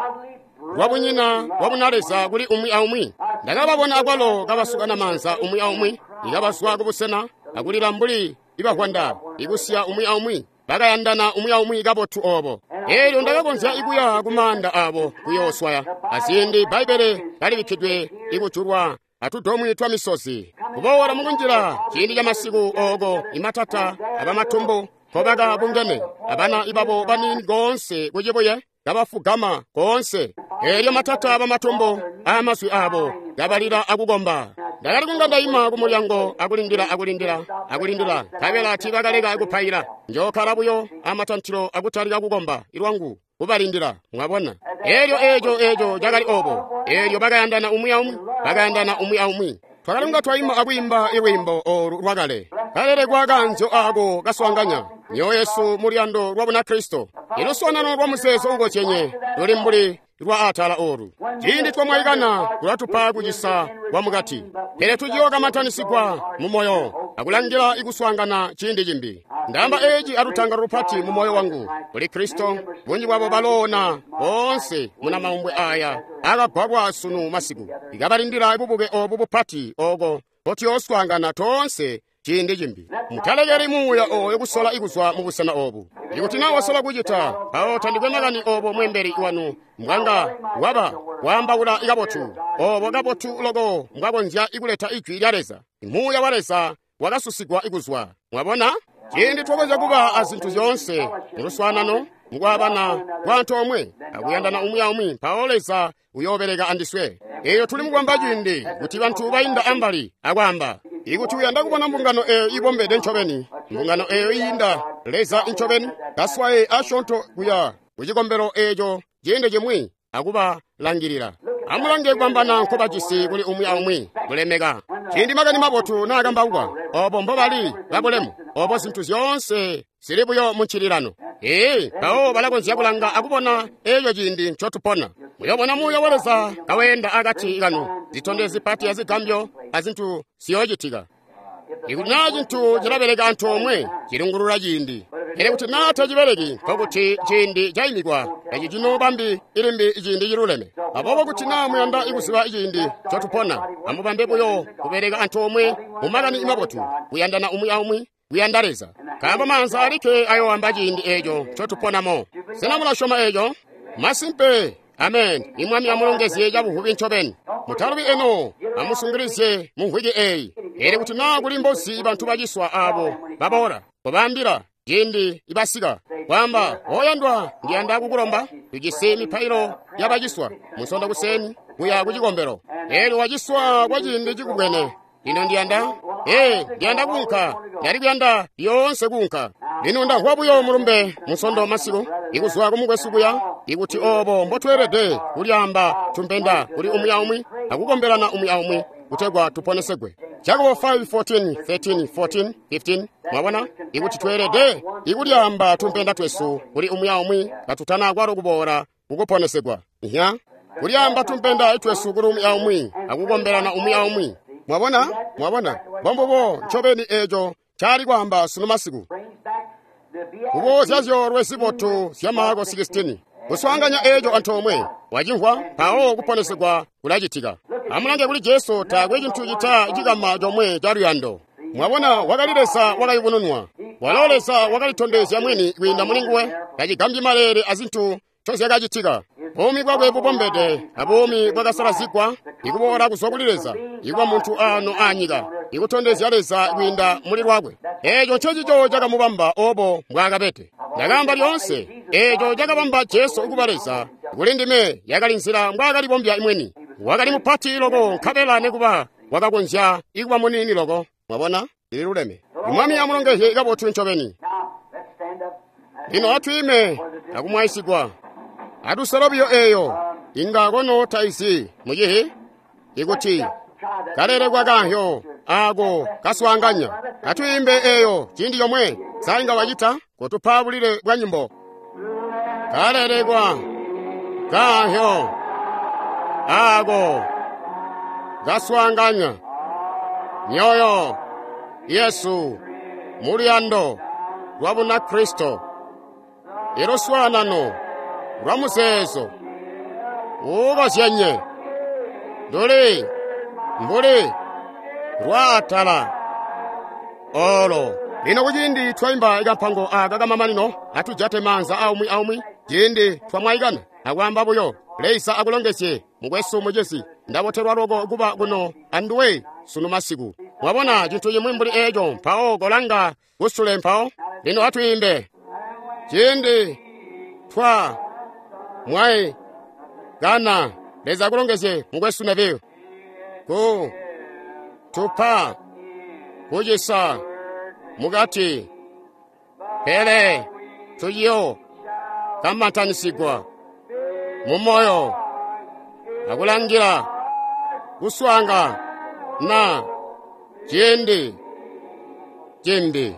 lwabunyina lwabunaleza kuli umwi aumwi. Ndakababona akwalo kabasukana maanza umwi aumwi, ikabazwa kubusena akulila mbuli ibahwanda, ikusiya umwi aumwi. Bakayandana umwi aumwi kabotu obo. Elyo ndakakonzya ikuya kumaanda abo kuyooswaya. Aziindi Bbaibbele kalibikkidwe ikujulwa atudomwi twa misozi. Kuboola mukunjila ciindi ca masiku oko imatata abamatumbu nkobaka bungene, abana ibabo baniini koonse kucibuye kabafugama koonse. Elyo matata abamatumbu aamazwi abo kabalila akukomba. Ndakali kunga ndaima kumulyango akulindila akulindila akulindila, nkabela tiibakaleka kupaila. Njookala buyo amatantilo akutalika kukomba ilwangu kubalindila. Mwabona, elyo eco eco cakali obo. Elyo bakayandana umwi aumwi, bakayandana umwi aumwi. Twakali kunga twaima akwiimba ilwiimbo olu lwakale, kalelekwa kanzyo ako kaswaanganya myoyo yesu mu luyando lwa Bunakristo. Iluswaanano lwa muzeezo ukozyenye luli mbuli lwa atala olu. Ciindi twamwaikana kulatupa kucisa kwa mukati, pele tuciyookamantanisigwa mu moyo akulangila ikuswaangana ciindi cimbi. Ndaamba eci alutangalo lupati mu moyo wangu kuli Kristo. Bunji bwabo baloona boonse muna maumbwe aya akagwagwa sunu masiku, ikabalindila bubuke obu bupati oko mpotuyooswaangana toonse ciindi cimbi. Mutalekeli muuya oyo kusola kuzwa mu busena obu. Ikuti na wasola kucita, mpawo tandikwe makani obo mwembeli wanu mbwanga waba waambaula kabotu, obo kabotu loko mbwakonzya kuleta ijwi lya Leza. Muuya wa Leza wakasusigwa kuzwa. Mwabona? Ciindi twakonzya kuba a zintu zyoonse mu luswaanano, mukwaabana kwa antoomwe, akuyandana umwi aumwi, mpawo Leza uyoobeleka andiswe. Eyo tuli mukwamba ciindi kuti bantu bainda ambali akwaamba. Ikuti uyanda kubona mbungano eyo ibombede ncobeni, mbungano eyo iinda Leza ncobeni, kaswaye asyoonto kuya kucikombelo eco ciindi cimwi akubalangilila. Amulange kubambana nkobajisi kuli umwi aumwi kulemeka. Ciindi makani mabotu naakambaukwa, obo mbobali babulemu, obo zintu zyoonse zili buyo mu ncililano. Ee, mpawo balakonzya kulanga akubona eco ciindi ncotupona. Muyobona muuya wa Leza kaweenda akati kanu, zitondezyo zipati azigambyo azintu ziyoocitika. Ikuti naa cintu cilabeleka antoomwe, cilungulula ciindi. Pele kuti naa tacibeleki, nkokuti ciindi caimikwa, eci cinoobambi ilimbi ciindi ciluleme. Aboobo kuti naa muyanda kuziba ciindi ncotupona, amubambe buyo kubeleka antoomwe mu makani mabotu, kuyandana umwi aumwi, kuyanda Leza. Nkaambo maanza alikke ayoowamba ciindi eeco ncotuponamo. Sena mulasyoma eeco? Masimpe. Amen. Imwami amulongezye cabuvubi ncobeni. Mutalubi eno, amusungilizye mu mvwiki eyi. Eri kuti naa kuli mbozi bantu baciswa abo baboola, kobaambila ciindi ibasika. Kwaamba, oyandwa, ndiyanda kukulomba, tujisi mipailo yabaciswa Munsondo kuseni kuya kucikombelo. Eelyo waciswa kwa ciindi cikubwene. Lino ndiyanda, ee, ndiyanda kuunka, ndali kuyanda lyoonse kuunka. Lino ndamvwa buyo mulumbe Munsondo masiku, ikuzwa kumukwesu kuya, ikuti obo mbotweelede kulyaamba tumpenda kuli umwi aumwi, akukombelana umwi aumwi, kutegwa tuponesegwe. Jakobo five fourteen thirteen fourteen fifteen. Mwabona? Ikuti tweelede ikulyaamba tumpenda twesu kuli umwi aumwi katutana kwalo kuboola kukuponesegwa. Nya? Kulyaamba tumpenda twesu kuli umwi aumwi, akukombelana umwi aumwi. Mwabona? Mwabona? Mbombubo ncobeni eco cali kwaamba sunu masiku. Kuboozya zyoolwe zibotu zya Marko sixteen. Kuswaanganya eco antoomwe, wacimvwa, mpawo kuponesegwa kulacitika. Amulange kuli Jesu, taakwe cintu cita cikama comwe ca luyando. Mwabona, wakali Leza wakayubununwa. Walo Leza wakalitondezya mwini kwiinda muli nguwe, tacigambyi maleele azintu ncozyakacitika. Buumi bwakwe bubombede abuumi bwakasalazigwa, ikuboola kuzwa kuli Leza, ikuba muntu ano anyika, ikutondezya Leza kwiinda muli lwakwe. Eeco ncecico cakamubamba obo mbwaakabede. Ndakaamba lyoonse, eeco cakabamba Jesu kuba Leza. Kuli ndime yakali nzila mbwaakalibombya mwini. Wakali mupati loko nkabela nekuba wakakonzya ikuba muniini loko. Mwabona? Liluleme. Mwami amulongezye kabotu ncobeni. Lino atwiime akumwaisigwa. Atusala biyo eyo inga kono taizi mucihi ikuti kalelekwa kanhyo ako kaswaanganya. Atwiimbe eyo ciindi comwe sainga wacita kutupa bulile bwa nyimbo. Kalelekwa kanhyo ako kaswaanganya myoyo Yesu muluyando lwa Bunakristo iluswaanano lwa muzeezo uukozyenye luli mbuli lwaatala olo. Lino kuciindi twaimba ikampango aka kamamanino, atujate maanza aumwi aumwi ciindi twamwaikana akwaamba buyo Leza akulongezye mukwesu mucisi, ndabotelwa loko kuba kuno anduwe sunu masiku. Mwabona cintu cimwi mbuli eco, mpawo kolanga kusule mpawo. Lino atwiimbe ciindi twa mwai kana. Leza akulongezye mukwesu Neville ku tupa kucisa mukati, pele tuyo kamantanisigwa mumoyo akulangila kuswanga na ciindi cimbi.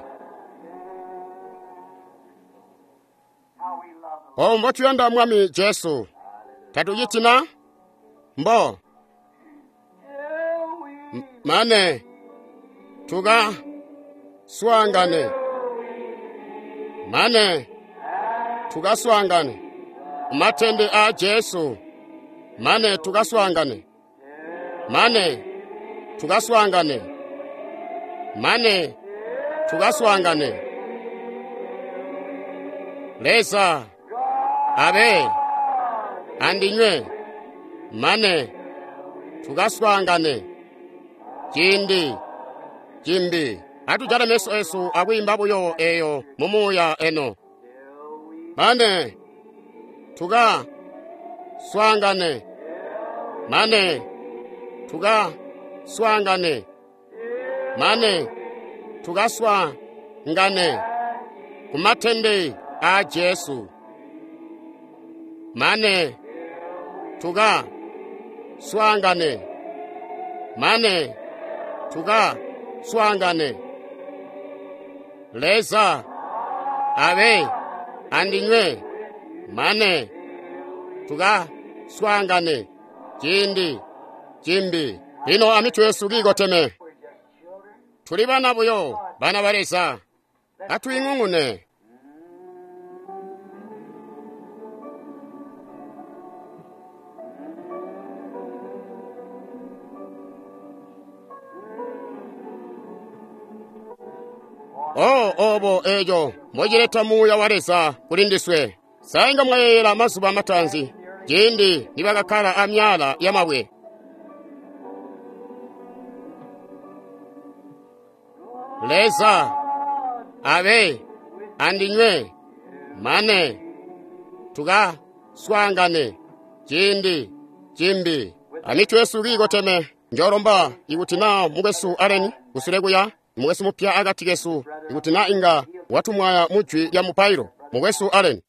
Obo mbotuyanda Mwami Jesu, tatucitina mbo mane tuka swangane, mane tukaswangane matende a Jesu, mane tukaswangane, mane tukaswangane, Mane tukaswaangane. Leza abe andinywe mane tukaswaangane ciindi cimbi. Atujale meso esu akwiimba buyo eyo mumuuya eno. Mane tuka swaangane, mane tuka swaangane, mane tukaswaangane kumatende a Jesu. Mane tuka swaangane, mane tuka swaangane. Leza abe andinywe mane tuka swaangane ciindi cimbi. Lino amitwe yesu kiikoteme. Tuli bana buyo, bana ba Leza. Atwiing'ung'une. Oh, obo eco mbocileta muuya wa Leza kuli ndiswe. Sainga mwayeeyela mazuba mataanzi, ciindi nibakakkala amyaala yamabwe. Leza abe andinywe mane tukaswaangane ciindi cimbi. Amitwe yesu kiikoteme. Njolomba ikuti naa mukwesu Allen kusule kuya, mukwesu mupya akati kesu, ikuti naa inga watumwaya mujwi lya mupailo. Mukwesu Allen.